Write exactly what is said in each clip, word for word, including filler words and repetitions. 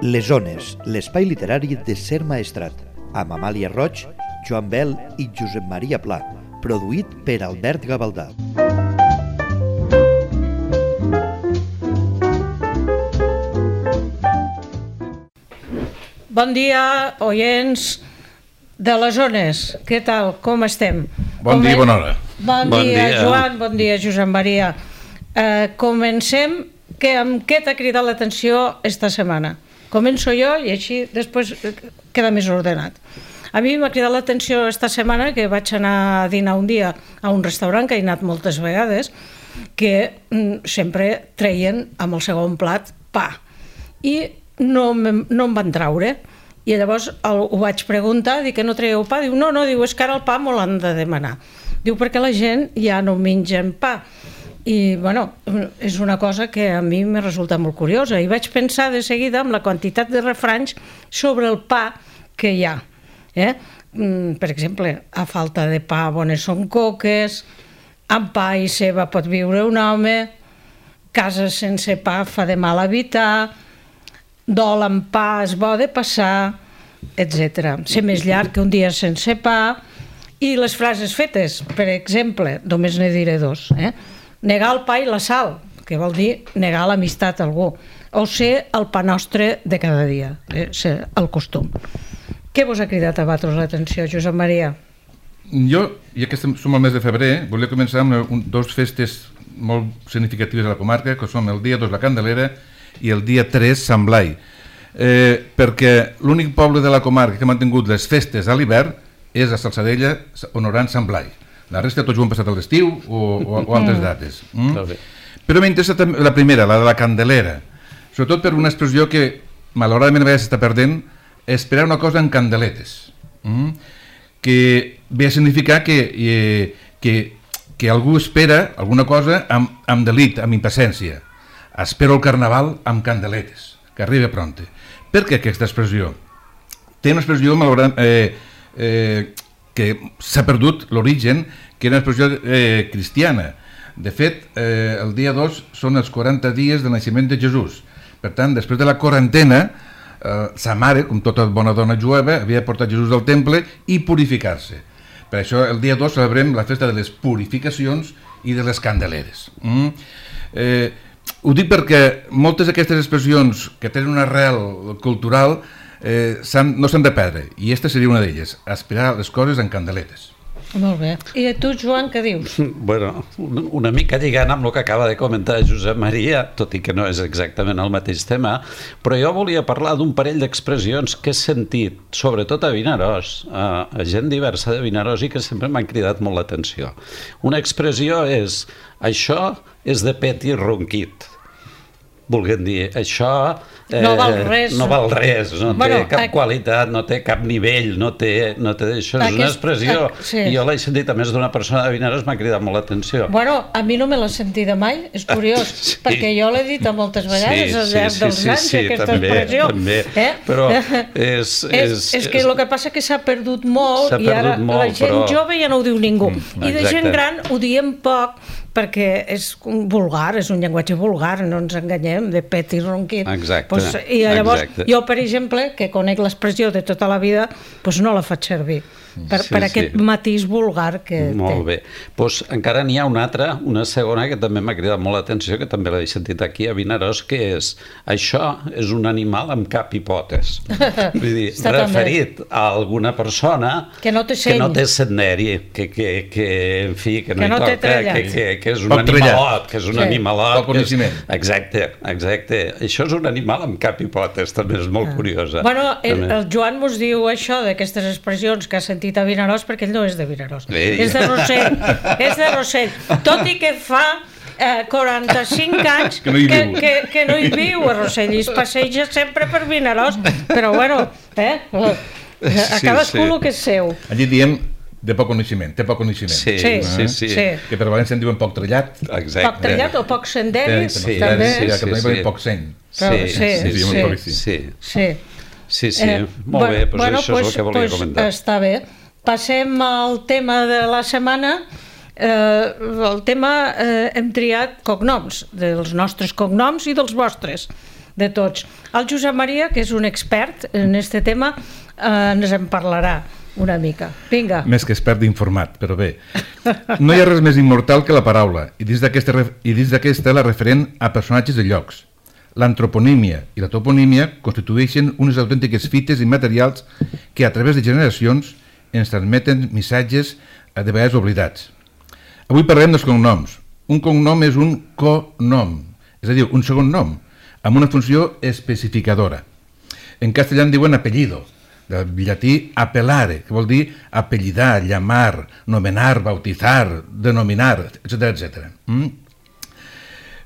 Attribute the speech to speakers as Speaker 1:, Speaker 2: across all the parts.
Speaker 1: Les Ones, l'espai literari de Ser Maestrat, amb Amàlia Roig, Joan Bel i Josep Maria Pla, produït per Albert Gavaldà.
Speaker 2: Bon dia, oients de les Ones. Què tal? Com estem?
Speaker 3: Bon dia i bona hora.
Speaker 2: Bon, bon dia, dia, Joan. Bon dia, Josep Maria. Uh, comencem. Que, amb què t'ha cridat l'atenció esta setmana? Començo jo i així després queda més ordenat. A mi m'ha cridat l'atenció esta setmana que vaig anar a dinar un dia a un restaurant que he anat moltes vegades, que mm, sempre treien amb el segon plat pa. I no, no em van traure. I llavors el, ho vaig preguntar, dic que no traieu pa? Diu, no, no, diu, és que ara el pa m'ho l'han de demanar. Diu, perquè la gent ja no mengen pa. I, bueno, és una cosa que a mi me resulta molt curiosa. I vaig pensar de seguida en la quantitat de refranys sobre el pa que hi ha. Eh? Per exemple, a falta de pa, bones són coques, amb pa i ceba pot viure un home, casa sense pa fa de mal habitar, dol amb pa és bo de passar, etcètera. Ser més llarg que un dia sense pa. I les frases fetes, per exemple, només ne diré dos, eh? Negar el pa i la sal, que vol dir negar l'amistat a algú, o ser el pa nostre de cada dia, eh? Ser el costum. Què vos ha cridat a vosaltres l'atenció, Josep Maria?
Speaker 3: Jo, ja que som al mes de febrer, volia començar amb un, dos festes molt significatives a la comarca, que són el dia dos la Candelera i el dia tres Sant Blai, eh, perquè l'únic poble de la comarca que ha mantingut les festes a l'hivern és a Salsadella, honorant Sant Blai. La resta tots ho han passat a l'estiu o, o, o altres dates. Mm? Però m'interessa la primera, la de la Candelera, sobretot per una expressió que malauradament a vegades s'està perdent, esperar una cosa en candeletes, mm? que ve a significar que, eh, que, que algú espera alguna cosa amb, amb delit, amb impaciència. Espero el carnaval amb candeletes, que arribi pronte. Per què aquesta expressió? Té una expressió malauradament... Eh, eh, que s'ha perdut l'origen, que era una expressió eh, cristiana. De fet, eh, el dia dos són els quaranta dies del naixement de Jesús. Per tant, després de la quarantena, eh, sa mare, com tota bona dona jueva, havia portat Jesús al temple i purificar-se. Per això, el dia dos celebrem la festa de les purificacions i de les candeleres. Mm? Eh, ho dic perquè moltes d'aquestes expressions que tenen una arrel cultural Eh, no s'han de perdre, i aquesta seria una d'elles, aspirar les coses en candeletes.
Speaker 2: Molt bé. I tu, Joan, què dius?
Speaker 4: Bueno, una mica lligant amb el que acaba de comentar Josep Maria, tot i que no és exactament el mateix tema, però jo volia parlar d'un parell d'expressions que he sentit, sobretot a Vinaròs, a, a gent diversa de Vinaròs, i que sempre m'han cridat molt l'atenció. Una expressió és, això és de pet i ronquit. Volguem dir, això eh,
Speaker 2: no val res,
Speaker 4: no, val res, no
Speaker 2: bueno,
Speaker 4: té cap
Speaker 2: a...
Speaker 4: qualitat, no té cap nivell, no té, no té això. És Aquest... una expressió, a... sí. I jo l'he sentit a més d'una persona de Vinaròs, m'ha cridat molt l'atenció.
Speaker 2: Bueno, a mi no me l'he sentida mai, és curiós, sí. perquè jo l'he dit a moltes vegades sí, al llarg sí, dels sí, anys, sí, aquesta també, expressió.
Speaker 4: També, eh? Però és...
Speaker 2: És, és, és que el que passa que s'ha perdut molt i ara molt, la gent però... jove ja no ho diu ningú. Mm, I de gent gran ho diem poc, perquè és vulgar, és un llenguatge vulgar, no ens enganyem, de pet i ronquit.
Speaker 4: Exacte.
Speaker 2: Pues, I llavors,
Speaker 4: exacte.
Speaker 2: Jo, per exemple, que conec l'expressió de tota la vida, pues no la faig servir. Per, sí, per aquest sí. matís vulgar que
Speaker 4: molt té. Molt bé. Pues encara n'hi ha una altra, una segona, que també m'ha cridat molt l'atenció, que també l'he sentit aquí a Vinaròs, que és, això és un animal amb cap i potes. Vull dir, referit també a alguna persona
Speaker 2: que no té seny,
Speaker 4: que no té senderi, que, que, que, en fi, que no,
Speaker 2: que no
Speaker 4: hi toca, que, que, que és un
Speaker 3: Poc
Speaker 4: animalot, que és un sí. animalot.
Speaker 3: Poc coneixement.
Speaker 4: Exacte, exacte. Això és un animal amb cap i potes, també és molt ah. curiosa.
Speaker 2: Bueno, el, el Joan mos diu això d'aquestes expressions que ha sentit a Vinaròs, perquè ell no és de Vinaròs, sí. és de Rossell, és de Rossell, tot i que fa eh, quaranta-cinc anys que no, que, que, que no hi viu a Rossell i es passeja sempre per Vinaròs, però bueno, eh? a cadascú el que és seu.
Speaker 3: Allí diem de poc coneixement, té poc coneixement.
Speaker 4: Sí, sí, sí, sí.
Speaker 2: sí.
Speaker 3: Que per València en diuen poc trellat.
Speaker 4: Exacte.
Speaker 2: Poc trellat o poc senderi,
Speaker 3: sí,
Speaker 2: també.
Speaker 3: Sí, sí, sí, sí. Poc seny.
Speaker 2: Sí, sí, sí.
Speaker 4: Sí, sí. sí. Sí, sí, eh, molt bé, doncs bueno, això pues, és el que volia pues, comentar.
Speaker 2: Està bé. Passem al tema de la setmana. Eh, el tema, eh, hem triat cognoms, dels nostres cognoms i dels vostres. de tots. El Josep Maria, que és un expert en aquest tema, eh, ens en parlarà una mica. Vinga.
Speaker 3: Més que expert d'informat, però bé. No hi ha res més immortal que la paraula, i dins d'aquesta i dins d'aquesta la referent a personatges de llocs. L'antroponímia i la toponímia constitueixen unes autèntiques fites immaterials que a través de generacions ens transmeten missatges de vegades oblidats. Avui parlem dels cognoms. Un cognom és un conom, és a dir, un segon nom, amb una funció especificadora. En castellà en diuen apellido, del llatí appellare, que vol dir apellidar, llamar, nomenar, bautizar, denominar, etcètera, etcètera. Mm?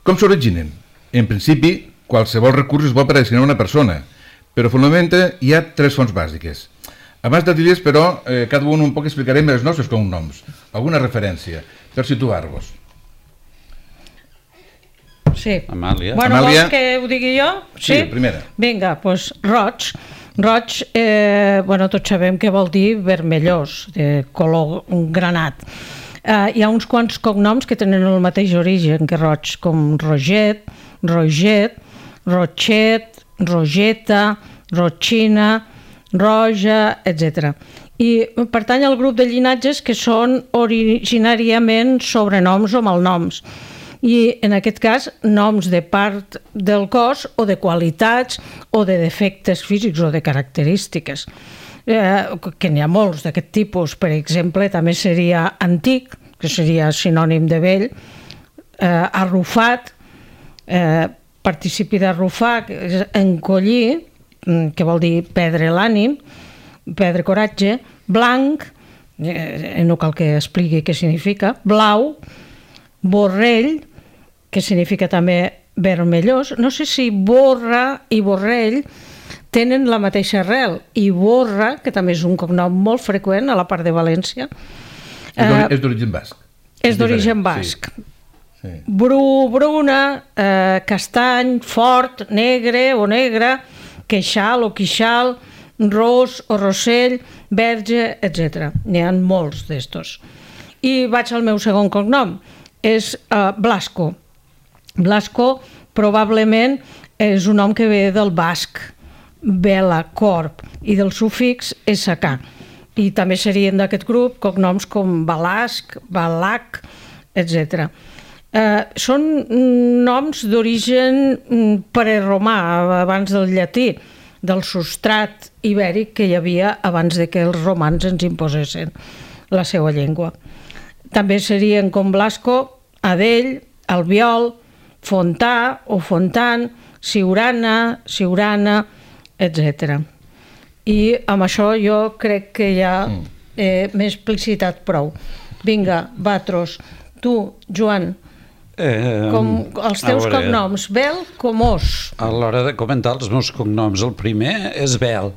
Speaker 3: Com s'originen? En principi, qualsevol recurs és bo per a designar una persona, però fonamentalment hi ha tres fonts bàsiques. Abans de dir-les, però, eh, cada un un poc explicarem els nostres cognoms, alguna referència, per situar-vos.
Speaker 2: Sí.
Speaker 4: Amàlia.
Speaker 2: Bueno,
Speaker 3: Amàlia.
Speaker 2: vols que ho digui jo?
Speaker 3: Sí, primera.
Speaker 2: Vinga, doncs roig. Roig, eh, bueno, tots sabem què vol dir vermellós, de color granat. Eh, hi ha uns quants cognoms que tenen el mateix origen que roig, com Roget, Roget, Rochet, Rogeta, Rotxina, Roja, etcètera. I pertany al grup de llinatges que són originàriament sobrenoms o malnoms. I en aquest cas noms de part del cos o de qualitats o de defectes físics o de característiques. Eh, que n'hi ha molts d'aquest tipus. Per exemple, també seria antic, que seria sinònim de vell, eh, arrufat, eh, participi d'arrufar, que és encollir, que vol dir perdre l'ànim, perdre coratge, blanc, eh, no cal que expliqui què significa, blau, borrell, que significa també vermellós. No sé si borra i borrell tenen la mateixa arrel, i borra, que també és un cognom molt freqüent a la part de València.
Speaker 3: Eh, és d'origen basc.
Speaker 2: És d'origen basc.
Speaker 3: Sí. Sí.
Speaker 2: Bru, bruna, eh, castany, fort, negre o negre, queixal o quixal, ros o rossell, verge, etcètera. N'hi ha molts d'estos. I vaig al meu segon cognom, és eh, Blasco. Blasco probablement és un nom que ve del basc, vela, corp, i del sufix sk. I també serien d'aquest grup cognoms com Balasc, Balac, etcètera. Eh, són noms d'origen preromà, abans del llatí, del substrat ibèric que hi havia abans de que els romans ens imposessin la seva llengua. També serien com Blasco, Adell, Albiol, Fontà o Fontant, Siurana, Siurana, etcètera. I amb això jo crec que ja eh, m'he explicitat prou. Vinga, Batros, tu, Joan,
Speaker 4: Eh,
Speaker 2: com els teus
Speaker 4: veure,
Speaker 2: cognoms, Bel com Os.
Speaker 4: A l'hora de comentar els meus cognoms, el primer és Bel,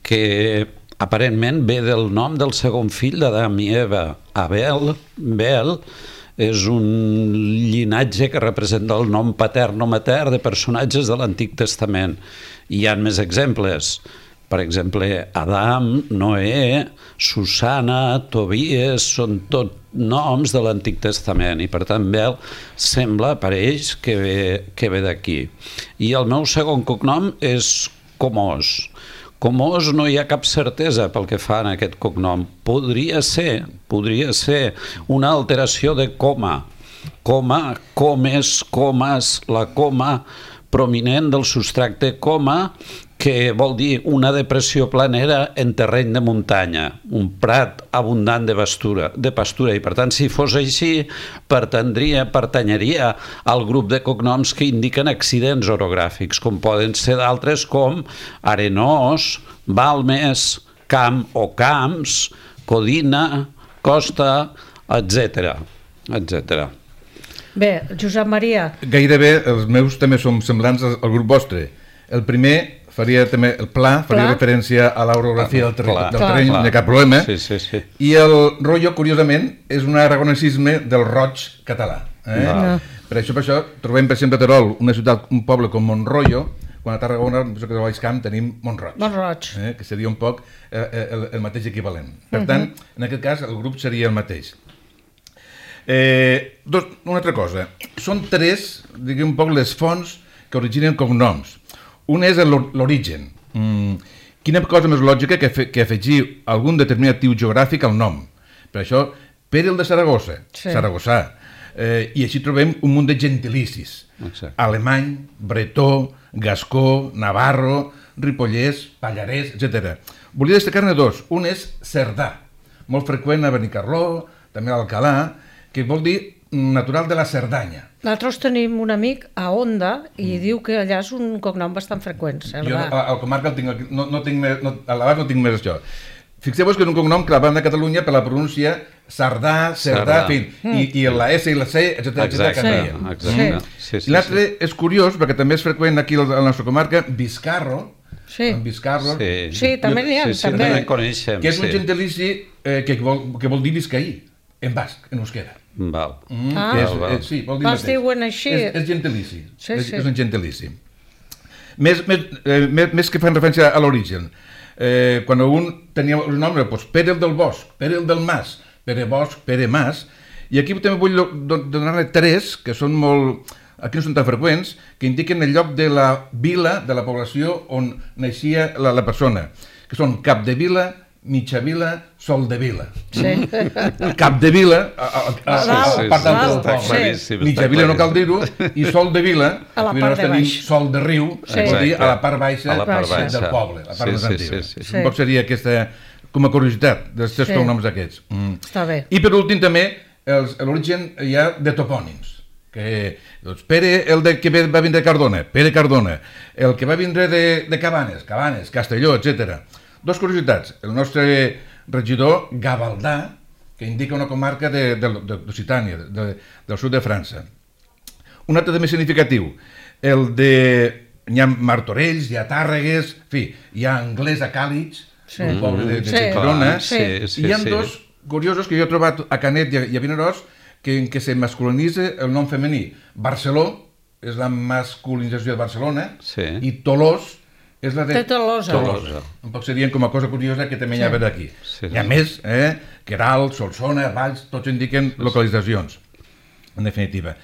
Speaker 4: que aparentment ve del nom del segon fill d'Adam i Eva. Abel, Bel, és un llinatge que representa el nom patern o matern de personatges de l'Antic Testament. Hi ha més exemples. Per exemple, Adam, Noé, Susana, Tobies, són tot noms de l'Antic Testament i per tant Bel sembla, apareix, que ve, que ve d'aquí. I el meu segon cognom és Comós. Comós no hi ha cap certesa pel que fa en aquest cognom. Podria ser, podria ser una alteració de coma. Coma, comes, comes, la coma prominent del substracte coma, que vol dir una depressió planera en terreny de muntanya, un prat abundant de pastura, de pastura. I per tant, si fos així, pertendria, pertanyeria al grup de cognoms que indiquen accidents orogràfics, com poden ser d'altres com Arenós, Balmes, Camp o Camps, Codina, Costa, etcètera, etcètera.
Speaker 2: Bé, Josep Maria.
Speaker 3: Gairebé els meus també són semblants al, al grup vostre. El primer faria també el pla, faria
Speaker 2: Pla.
Speaker 3: referència a l'orografia del, terreny,
Speaker 4: Clar,
Speaker 3: del
Speaker 2: clar.
Speaker 3: terreny,
Speaker 4: Clar.
Speaker 3: no hi ha cap problema.
Speaker 4: Sí, sí, sí.
Speaker 3: I el rotllo, curiosament, és un aragonesisme del roig català. Eh?
Speaker 4: No.
Speaker 3: Per això, per això, trobem, per exemple, a Terol, una ciutat, un poble com Montroio, quan a Tarragona, penso que a Baix Camp, tenim Montroig.
Speaker 2: Montroig.
Speaker 3: Eh? Que seria un poc eh, el, el mateix equivalent. Per tant, en aquest cas, el grup seria el mateix. Eh, dos, una altra cosa. Són tres, diguem un poc, les fonts que originen cognoms. Un és l'origen. Mm, quina cosa més lògica que, fe, que afegir algun determinat tipus geogràfic al nom. Per això, Pere el de Saragossa, sí. Saragossà. Eh, I així trobem un munt de gentilicis. Exacte. Alemany, bretó, gascó, navarro, ripollès, pallarès, etcètera. Volia destacar-ne dos. Un és cerdà, molt freqüent a Benicarló, també a l'Alcalà, que vol dir natural de la Cerdanya.
Speaker 2: Nosaltres tenim un amic a Onda i mm. diu que allà és un cognom bastant freqüent, Cerdà.
Speaker 3: Jo a, a comarca el tinc, no, no tinc més, no, a l'abast no tinc més això. Fixeu-vos que és un cognom que la banda de Catalunya per la pronúncia Sardà, Cerdà, en fi, mm. i, i la S i la C, etcètera, etcètera, canvien.
Speaker 4: Exacte. Sí. Sí, sí,
Speaker 3: I l'altre sí. és curiós, perquè també és freqüent aquí a la nostra comarca, Vizcarro,
Speaker 2: sí.
Speaker 3: en Vizcarro,
Speaker 2: sí. sí, també n'hi ha,
Speaker 4: sí, sí,
Speaker 2: també.
Speaker 4: també coneixem,
Speaker 3: que és un
Speaker 4: sí.
Speaker 3: gentilici eh, que, vol, que vol dir viscaí, en basc, en euskera.
Speaker 4: Val.
Speaker 3: Mm,
Speaker 2: ah.
Speaker 3: que és, eh, sí, vol dir
Speaker 2: els diuen així.
Speaker 3: És, és gentilici,
Speaker 2: sí,
Speaker 3: és,
Speaker 2: sí.
Speaker 3: és un gentilici. Més, més, eh, més, més que fan referència a l'origen. Eh, quan un tenia el nom, doncs Pere el del Bosc, Pere el del Mas, Pere Bosc, Pere Mas, i aquí també vull donar-ne tres, que són molt, aquí no són tan freqüents, que indiquen el lloc de la vila, de la població on naixia la, la persona, que són Capdevila, Mitjavila, Soldevila.
Speaker 2: Sí.
Speaker 3: Capdevila, a, a, a, a, a part del poble.
Speaker 2: Sí.
Speaker 3: Mitjavila no cal dir-ho, i Soldevila,
Speaker 2: a la part de
Speaker 3: tenim
Speaker 2: baix.
Speaker 3: Sol de Riu,
Speaker 2: sí.
Speaker 3: vol dir a la part baixa,
Speaker 4: a la part baixa
Speaker 3: del poble, la part
Speaker 4: sí,
Speaker 3: més
Speaker 4: sí,
Speaker 3: antiga.
Speaker 4: Sí, sí,
Speaker 3: sí. Un poc seria aquesta, com a curiositat, dels tres
Speaker 2: sí.
Speaker 3: cognoms aquests. Mm.
Speaker 2: Està bé.
Speaker 3: I per últim també, l'origen hi ha de topònims. Que, doncs, Pere, el de, que va vindre de Cardona, Pere Cardona, el que va vindre de, de Cabanes, Cabanes, Castelló, etcètera. Dos curiositats. El nostre regidor Gavaldà, que indica una comarca d'Occitània, de, de, del sud de França. Un altre també significatiu, el de... Hi ha Martorells, hi ha Tàrregues, en fi, hi ha Anglès a Càlig, sí. un poble de, de
Speaker 2: sí.
Speaker 3: Girona,
Speaker 2: sí.
Speaker 3: i hi ha sí. dos curiosos que jo he trobat a Canet i a, i a Vinaròs, que, en què se masculinitza el nom femení. Barceló és la masculinització de Barcelona, sí. i Tolós és la de...
Speaker 2: De Tolosa.
Speaker 3: Tolosa. Un poc serien com a cosa curiosa que també hi ha sí. aquí. Sí, hi ha sí. més, eh? Queralt, Solsona, Valls, tots indiquen localitzacions, en definitiva.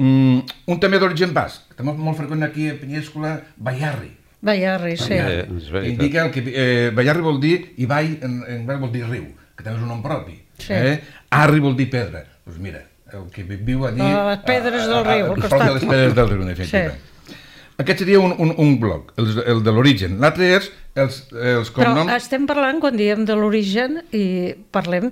Speaker 3: Mm, un també d'origen basc, també molt freqüent aquí a Penyéscola, Baiarri.
Speaker 2: Baiarri, sí.
Speaker 3: Baiarri. Eh, indica el que... Eh, Baiarri vol dir, Ibai en, en basc vol dir riu, que també és un nom propi. Sí. Eh? Arri vol dir pedra. Doncs pues mira, el que viu allí...
Speaker 2: A les pedres del riu, al costat.
Speaker 3: A les pedres del riu, en definitiva. Sí. Aquest seria un, un, un bloc, el, el de l'origen. L'altre és els, els cognoms...
Speaker 2: Però estem parlant, quan diem de l'origen, i parlem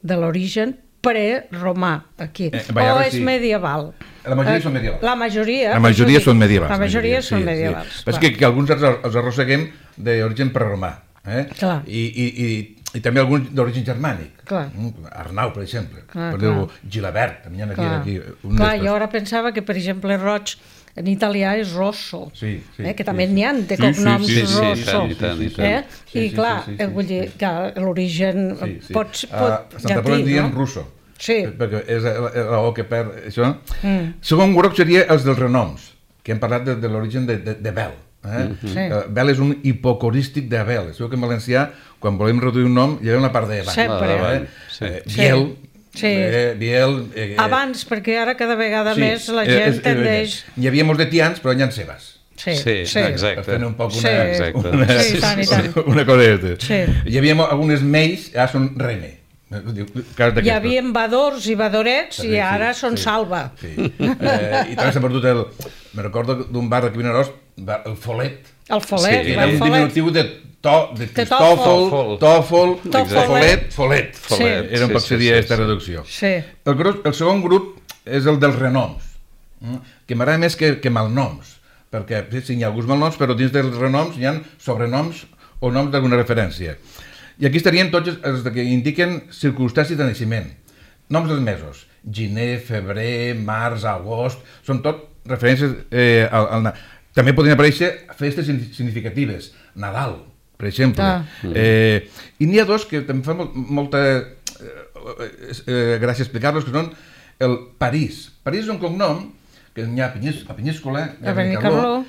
Speaker 2: de l'origen pre-romà, aquí. Eh, o és sí. medieval?
Speaker 3: La majoria eh, són medievals.
Speaker 2: La majoria,
Speaker 3: la majoria són medievals.
Speaker 2: La majoria
Speaker 3: sí,
Speaker 2: són medievals.
Speaker 3: Sí. És que, que alguns els, els arrosseguem d'origen preromà. Eh?
Speaker 2: Clar.
Speaker 3: I, i, i, I també alguns d'origen germànic.
Speaker 2: Clar.
Speaker 3: Arnau, per exemple.
Speaker 2: Clar,
Speaker 3: per dir-ho, Gilabert. També hi ha aquí, aquí un
Speaker 2: clar, jo ara pensava que, per exemple, Roig en italià és Rosso,
Speaker 3: sí, sí,
Speaker 2: eh, que també
Speaker 3: sí,
Speaker 2: n'hi ha de cognoms
Speaker 3: sí, sí, sí,
Speaker 2: Rosso.
Speaker 4: Sí, sí, sí, sí, sí.
Speaker 2: Eh? I
Speaker 3: sí,
Speaker 2: clar,
Speaker 3: sí, sí, sí,
Speaker 2: vull dir que l'origen
Speaker 3: sí, sí.
Speaker 2: pot, pot
Speaker 3: a Santa Pola en diem
Speaker 2: no?
Speaker 3: russo,
Speaker 2: sí.
Speaker 3: perquè és la, la O que perd això. Mm. Segon grup seria els dels renoms, que hem parlat de, de l'origen de, de, de Bel. Eh? Mm-hmm. sí. uh, Bel és un hipocorístic de Bel. Sabeu que en valencià, quan volem reduir un nom, hi ha una part de Bel.
Speaker 2: Sempre.
Speaker 3: Eh? Sí. Eh, Biel,
Speaker 2: sí.
Speaker 3: Eh, Biel... Eh,
Speaker 2: Abans, perquè ara cada vegada
Speaker 3: sí,
Speaker 2: més la gent eh, tendeix...
Speaker 3: Hi havia molts de tians, però hi ha Sebas.
Speaker 2: Sí,
Speaker 4: sí,
Speaker 2: sí.
Speaker 4: exacte.
Speaker 3: Per un poc una,
Speaker 2: sí.
Speaker 4: Exacte.
Speaker 3: una,
Speaker 2: sí, tant i tant.
Speaker 3: una cosa de
Speaker 2: sí.
Speaker 3: Hi havia algunes meis, ara són Rene.
Speaker 2: Hi havia vadors i vadorets i ara
Speaker 3: sí,
Speaker 2: són
Speaker 3: sí,
Speaker 2: Salva.
Speaker 3: Sí. Eh, I també s'ha perdut el... Me recordo d'un bar d'aquí Vinaròs, el Folet.
Speaker 2: El Folet,
Speaker 3: sí,
Speaker 2: el
Speaker 3: era un
Speaker 2: Folet.
Speaker 3: diminutiu de, to, de Cristòfol, Tòfol, Folet, Folet.
Speaker 2: Sí.
Speaker 3: Era un poc seria aquesta reducció.
Speaker 2: Sí.
Speaker 3: El, grup, el segon grup és el dels renoms, que m'agrada més que, que malnoms, perquè sí, hi ha alguns malnoms, però dins dels renoms hi ha sobrenoms o noms d'alguna referència. I aquí estarien tots els que indiquen circumstàncies de naixement. Noms dels mesos. Gener, febrer, març, agost... Són tot referències eh, al, al... També podrien aparèixer festes significatives. Nadal, per exemple. Ah. Eh, I n'hi ha dos que també fan molta eh, eh, gràcia explicar-los, que són el París. París és un cognom que n'hi ha a Penyéscola, a Benicarló,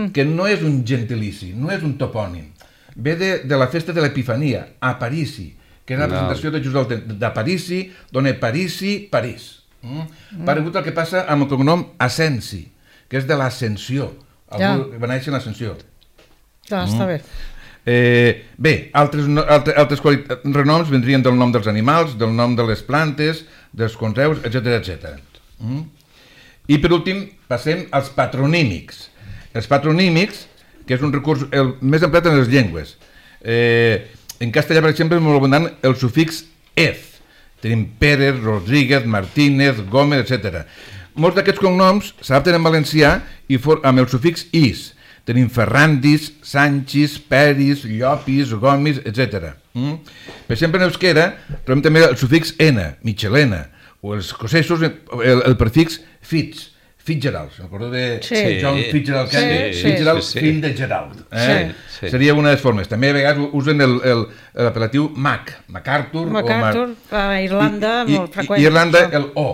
Speaker 3: que no és un gentilici, no és un topònim. Ve de, de la festa de l'Epifania, a Parisi, que és la presentació de Jesús de, de Parisi, dona Parisi, París. Mm? Mm. Paregut el que passa amb el cognom Asensi, que és de l'ascensió, Algú va néixer en l'Ascensió.
Speaker 2: Ja, està bé.
Speaker 3: Eh, bé, altres, no, altres, altres renoms vendrien del nom dels animals, del nom de les plantes, dels conreus, etcètera, etcètera. Mm? I per últim passem als patronímics. Els patronímics, que és un recurs el més emprat en les llengües. Eh, en castellà, per exemple, és molt abundant el sufix ez. Tenim Pérez, Rodríguez, Martínez, Gómez, etcètera. Molts d'aquests cognoms s'adapten en valencià i for, amb el sufix is. Tenim Ferrandis, Sanchis, Peris, Llopis, Gomis, etcètera. Mm? Per exemple, en euskera trobem també el sufix ena, Michelena, o els escocesos el, el prefix fitz, Fitzgerald. Recordo de
Speaker 2: sí.
Speaker 3: John Fitzgerald Kennedy,
Speaker 2: sí, sí,
Speaker 3: Fitzgerald,
Speaker 4: sí, sí.
Speaker 3: fill de Gerald. Eh?
Speaker 2: Sí,
Speaker 4: sí.
Speaker 3: Seria una de les formes. També a vegades usen l'apel·latiu Mac, MacArthur.
Speaker 2: MacArthur, a Irlanda,
Speaker 3: I,
Speaker 2: molt
Speaker 3: i,
Speaker 2: freqüent.
Speaker 3: I Irlanda el O,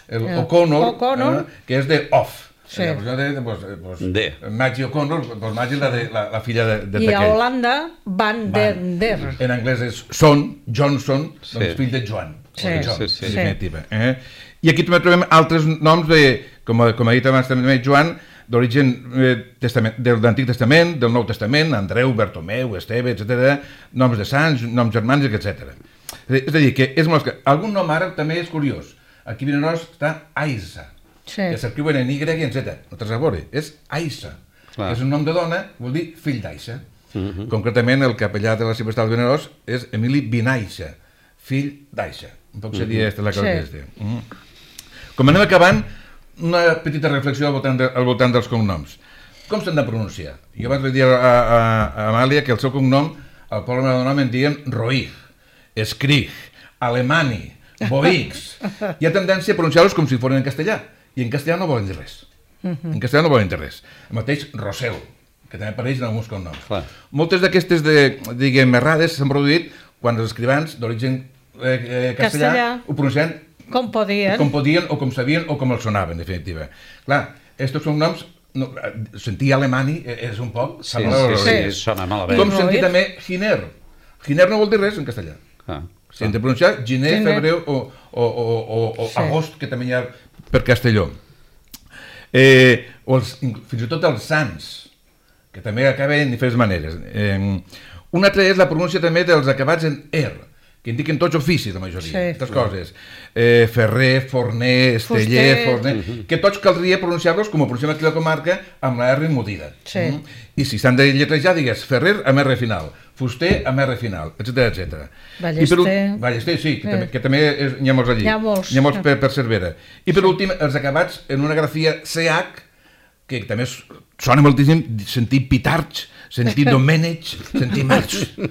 Speaker 3: el
Speaker 2: El
Speaker 3: O'Connor,
Speaker 2: O'Connor.
Speaker 3: eh, que és de off.
Speaker 2: Sí.
Speaker 3: La versió de, pues, pues,
Speaker 4: De.
Speaker 3: Maggie O'Connor, pues Maggie la, de, la, la filla de, de
Speaker 2: I a
Speaker 3: Taquell.
Speaker 2: Holanda, Van den Der.
Speaker 3: En anglès és Son, Johnson,
Speaker 4: Sí.
Speaker 3: doncs fill de Joan.
Speaker 2: Sí.
Speaker 3: O de John,
Speaker 4: Sí, sí.
Speaker 3: en definitiva. Eh? I aquí també trobem altres noms de, com, com ha dit abans també Joan, d'origen eh, testament, de l'Antic Testament, del Nou Testament, Andreu, Bartomeu, Esteve, etcètera, noms de sants, noms germànics, etcètera. És a dir, que és molt... Algun nom àrab també és curiós. Aquí a Vinaròs està Aisa,
Speaker 2: Sí.
Speaker 3: que s'escriuen en Y i en Z, no tens a veure, és Aisa.
Speaker 4: Clar.
Speaker 3: És un nom de dona, vol dir fill d'Aisa. Uh-huh. Concretament, el capellà de la Ciutat de Vinaròs és Emili Binaixa, fill d'Aixa. Un poc seria uh-huh. esta la que
Speaker 2: Sí.
Speaker 3: és. Uh-huh. Com anem acabant, una petita reflexió al voltant, de, al voltant dels cognoms. Com s'han de pronunciar? Jo vaig dir a, a, a Amàlia que el seu cognom, al poble Maradona en diuen Roig, Escrig, Alemani, Boix. Hi ha tendència a pronunciar-los com si foren en castellà, i en castellà no volen dir res. Uh-huh. En castellà no volen dir res. El mateix Rosel, que també apareix en alguns cognoms.
Speaker 4: Clar.
Speaker 3: Moltes d'aquestes, de, diguem, errades s'han produït quan els escrivans d'origen eh, eh, castellà,
Speaker 2: Castellà.
Speaker 3: ho pronunciaven
Speaker 2: Com podien.
Speaker 3: com podien o com sabien o com els sonava, en definitiva. Clar, estos són noms, no, sentir alemani és un poc...
Speaker 4: Sí,
Speaker 3: sembla
Speaker 4: sí, sí,
Speaker 3: horrorós.
Speaker 4: sona malament.
Speaker 3: Com sentir també Giner. Giner no vol dir res en castellà.
Speaker 4: Ah.
Speaker 3: Si hem de pronunciar gener,
Speaker 2: Gener.
Speaker 3: febrer o, o, o, o, o
Speaker 2: Sí.
Speaker 3: agost, que també hi ha per Castelló. Eh, o els, fins i tot els sants, que també acaben en diferents maneres. Eh, una altra és la pronúncia també dels acabats en er, que indiquen tots oficis, la majoria,
Speaker 2: Sí.
Speaker 3: aquestes coses. Eh, Ferrer, Forner, Esteller,
Speaker 2: Fuster.
Speaker 3: Forner... Uh -huh. Que tots caldria pronunciar-los com ho pronunciem aquí a la comarca, amb la R emudida.
Speaker 2: Sí.
Speaker 3: Mm? I si s'han de lletrejar, digues Ferrer amb R final, Fuster amb R final, etcètera, etcètera.
Speaker 2: Ballester.
Speaker 3: I per últim, Ballester, sí, que,
Speaker 2: Eh.
Speaker 3: també, que també és, n'hi ha molts allí.
Speaker 2: N'hi ha molts.
Speaker 3: N'hi ha molts per, per Cervera. I per últim, els acabats en una grafia C H, que també sona moltíssim sentir Pitarch, sentir Domènech, sentir Marx. Eh,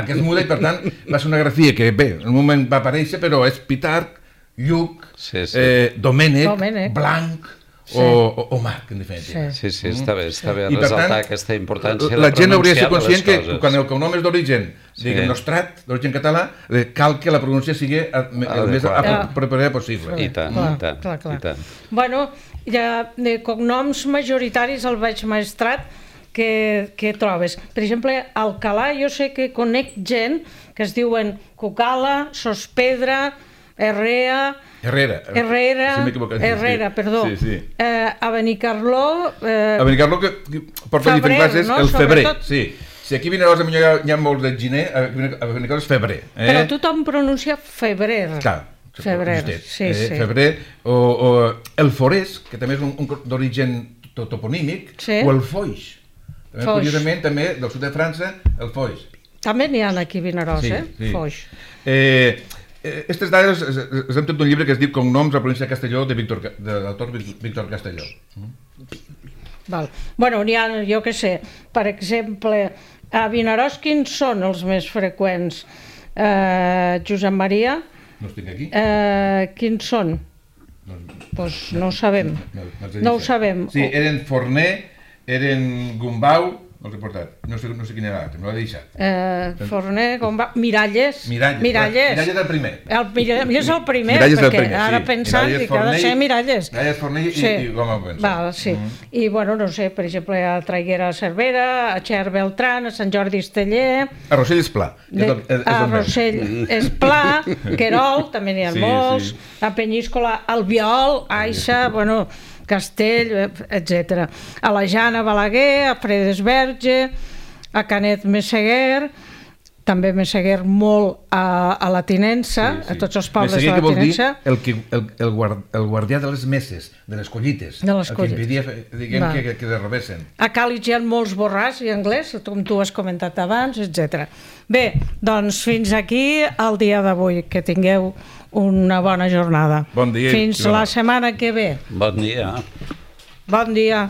Speaker 3: aquest muda i per tant va ser una grafia que bé, en un moment va aparèixer, però és Pitarch, Lluc,
Speaker 4: Sí, sí.
Speaker 3: eh, Domènech,
Speaker 2: Domènech.
Speaker 3: Blanc
Speaker 2: Sí.
Speaker 3: o, o, o Marc, en definitiva.
Speaker 4: Sí, sí, està bé, està bé
Speaker 3: I per
Speaker 4: resaltar
Speaker 3: tant,
Speaker 4: aquesta importància
Speaker 3: la
Speaker 4: de
Speaker 3: gent hauria de ser
Speaker 4: pronunciar les
Speaker 3: conscient que
Speaker 4: coses.
Speaker 3: quan el cognom és d'origen,
Speaker 4: Sí.
Speaker 3: diguem, nostrat, d'origen català, eh, cal que la pronúncia sigui el més
Speaker 4: Adequada.
Speaker 3: apropiada possible.
Speaker 4: I tant,
Speaker 2: Clar,
Speaker 4: i tant,
Speaker 2: clar, clar.
Speaker 4: i tant.
Speaker 2: Bueno, ja de cognoms majoritaris al Baix Maestrat que, que trobes. Per exemple, a Alcalà jo sé que conec gent que es diuen Cucala, Sospedra, Herrea,
Speaker 3: Herrera.
Speaker 2: Herrera,
Speaker 3: Sí, m'he equivocat.
Speaker 2: Herrera,
Speaker 3: Sí.
Speaker 2: perdó.
Speaker 3: Sí, sí.
Speaker 2: Eh, a Benicarló... Eh,
Speaker 3: A Benicarló, que que porta
Speaker 2: Febrer,
Speaker 3: diferents classes,
Speaker 2: no?
Speaker 3: el febrer,
Speaker 2: Sobretot.
Speaker 3: sí. Si aquí a Vinaròs potser hi ha, hi ha molts de giner, a Benicarló és febrer. Eh?
Speaker 2: Però tothom pronuncia febrer.
Speaker 3: Clar,
Speaker 2: Febrer,
Speaker 3: justet,
Speaker 2: sí,
Speaker 3: eh?
Speaker 2: sí.
Speaker 3: Febrer, o, o el forès, que també és un, un d'origen to- toponímic,
Speaker 2: Sí.
Speaker 3: o el foix. També,
Speaker 2: Foix.
Speaker 3: curiosament, també del sud de França, el foix.
Speaker 2: També n'hi ha aquí a Vinaròs,
Speaker 3: Sí,
Speaker 2: eh?
Speaker 3: sí.
Speaker 2: Foix.
Speaker 3: Eh, Aquestes dades es hem tot un llibre que es diu Cognoms a la província de Castelló, de, Víctor, de l'autor Víctor Castelló.
Speaker 2: Val. Bueno, n'hi ha, jo què sé, per exemple, a Vinaròs quins són els més freqüents? Eh, Josep Maria,
Speaker 3: No els tinc aquí?
Speaker 2: eh, quins són?
Speaker 3: No,
Speaker 2: Doncs no ho sabem.
Speaker 3: no, no, els he
Speaker 2: No ho
Speaker 3: dit.
Speaker 2: sabem.
Speaker 3: Sí, eren Forner, eren Gumbau, no els he portat, no sé, no sé quin era l'altre, me l'he deixat.
Speaker 2: Eh, Forner, com va? Miralles.
Speaker 3: Miralles.
Speaker 2: Miralles.
Speaker 3: Miralles del primer.
Speaker 2: El Miralles és el primer,
Speaker 3: Miralles del
Speaker 2: perquè
Speaker 3: primer,
Speaker 2: ara
Speaker 3: sí.
Speaker 2: pensant
Speaker 3: Miralles,
Speaker 2: dic que ha de
Speaker 3: Forner i-
Speaker 2: ser Miralles.
Speaker 3: Miralles, Forner i- i Goma Benson.
Speaker 2: Val, sí.
Speaker 3: Mhm.
Speaker 2: I, bueno, no sé, per exemple, a Traiguera Cervera, a Xer Beltran, a Sant Jordi Esteller,
Speaker 3: A Rossell és pla. És
Speaker 2: de,
Speaker 3: el, és, és
Speaker 2: a
Speaker 3: el meu.
Speaker 2: Rossell és Pla, Querol, també n'hi ha
Speaker 3: Sí,
Speaker 2: molts,
Speaker 3: sí.
Speaker 2: a Penyíscola, Albiol, Aixa, bueno, Castell, etcètera. A la Jana Balaguer, a Fredesberge, a Canet Messeguer, també Messeguer molt a, a la Tinença, sí, sí. A tots els pobles de la Tinença.
Speaker 3: El, que, el, el, guard, el guardià de les messes, de les collites,
Speaker 2: de les
Speaker 3: el
Speaker 2: collites.
Speaker 3: que impedia diguem, que, que, que derrobessin.
Speaker 2: A Càlig hi ha molts borràs i anglès, com tu has comentat abans, etcètera. Bé, doncs fins aquí el dia d'avui. Que tingueu una bona jornada.
Speaker 3: Bon dia.
Speaker 2: Fins la setmana que ve.
Speaker 4: Bon dia.
Speaker 2: Bon dia.